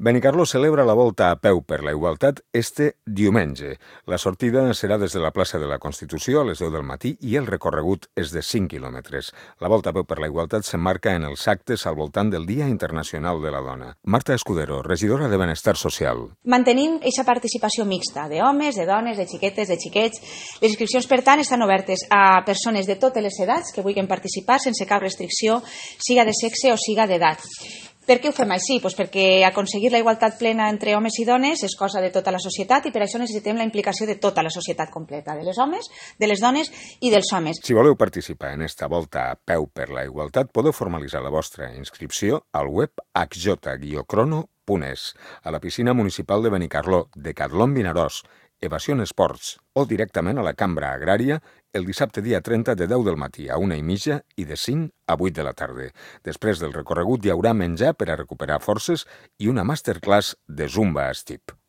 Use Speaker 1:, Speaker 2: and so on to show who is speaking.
Speaker 1: Benicarló celebra la volta a peu per la igualtat este diumenge. La sortida serà des de la plaça de la Constitució a les 10 del matí i el recorregut és de 5 quilòmetres. La volta a peu per la igualtat s'emmarca en els actes al voltant del Dia Internacional de la Dona. Marta Escudero, regidora de Benestar Social.
Speaker 2: Mantenim aquesta participació mixta d'homes, de dones, de xiquetes, de xiquets. Les inscripcions, per tant, estan obertes a persones de totes les edats que vulguin participar sense cap restricció, siga de sexe o siga d'edat. Per què ho fem així? Perquè aconseguir la igualtat plena entre homes i dones és cosa de tota la societat i per això necessitem la implicació de tota la societat completa, de les homes, de les dones i dels homes.
Speaker 1: Si voleu participar en esta volta a peu per la igualtat, podeu formalitzar la vostra inscripció al web hj-crono.es, a la piscina municipal de Benicarló, Decatlon Vinaròs, Evasion Esports o directament a la Cambra Agrària el dissabte dia 30 de 10 del matí a 1:30 i de 5 a 8 de la tarda. Després del recorregut hi haurà menjar per a recuperar forces i una masterclass de Zumba Estip.